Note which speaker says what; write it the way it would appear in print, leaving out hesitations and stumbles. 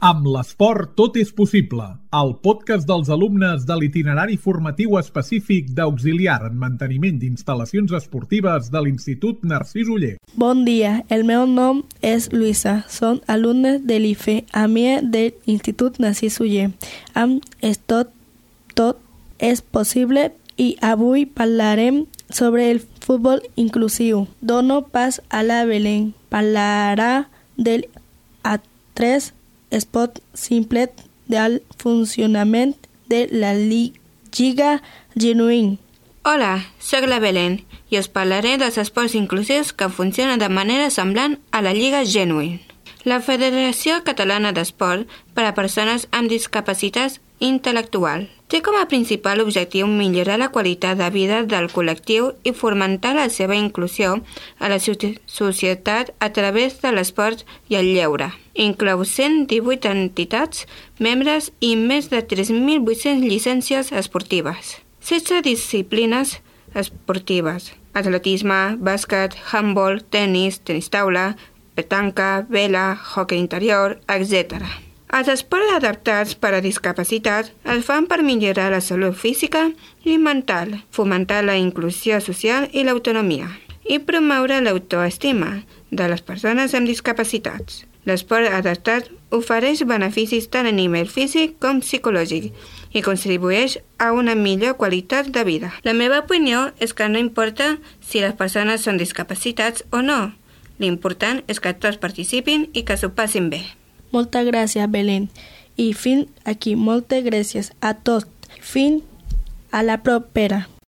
Speaker 1: Amb l'esport tot és possible. El podcast dels alumnes de l'itinerari formatiu específic d'auxiliar en manteniment d'instal·lacions esportives de l'Institut Narcís Oller.
Speaker 2: Bon dia, el meu nom és Luisa. Som alumnes de l'IFE, a mi de l'Institut Narcís Oller. Amb tot és possible i avui parlarem sobre el futbol inclusiu. Dono pas a la Belén. Parlarà del A3 esport simple del funcionament de la Lliga Genuïn.
Speaker 3: Hola, soc la Belén i us parlaré dels esports inclusius que funcionen de manera semblant a la Lliga Genuïn. La Federació Catalana d'Esport per a Persones amb Discapacitats Intel·lectual té com a principal objectiu millorar la qualitat de vida del col·lectiu i fomentar la seva inclusió a la societat a través de l'esport i el lleure. Inclou 118 entitats, membres i més de 3.800 llicències esportives. 16 disciplines esportives: atletisme, bàsquet, handbol, tenis taula, petanca, vela, hoquei interior, etc. Els esports adaptats per a discapacitat es fan per millorar la salut física i mental, fomentar la inclusió social i l'autonomia i promoure l'autoestima de les persones amb discapacitats. L'esport adaptat ofereix beneficis tant a nivell físic com psicològic i contribueix a una millor qualitat de vida. La meva opinió és que no importa si les persones són discapacitats o no. L'important és que tots participin i que s'ho passin bé.
Speaker 2: Moltes gràcies, Belén. I fins aquí, moltes gràcies a tots. Fins a la propera.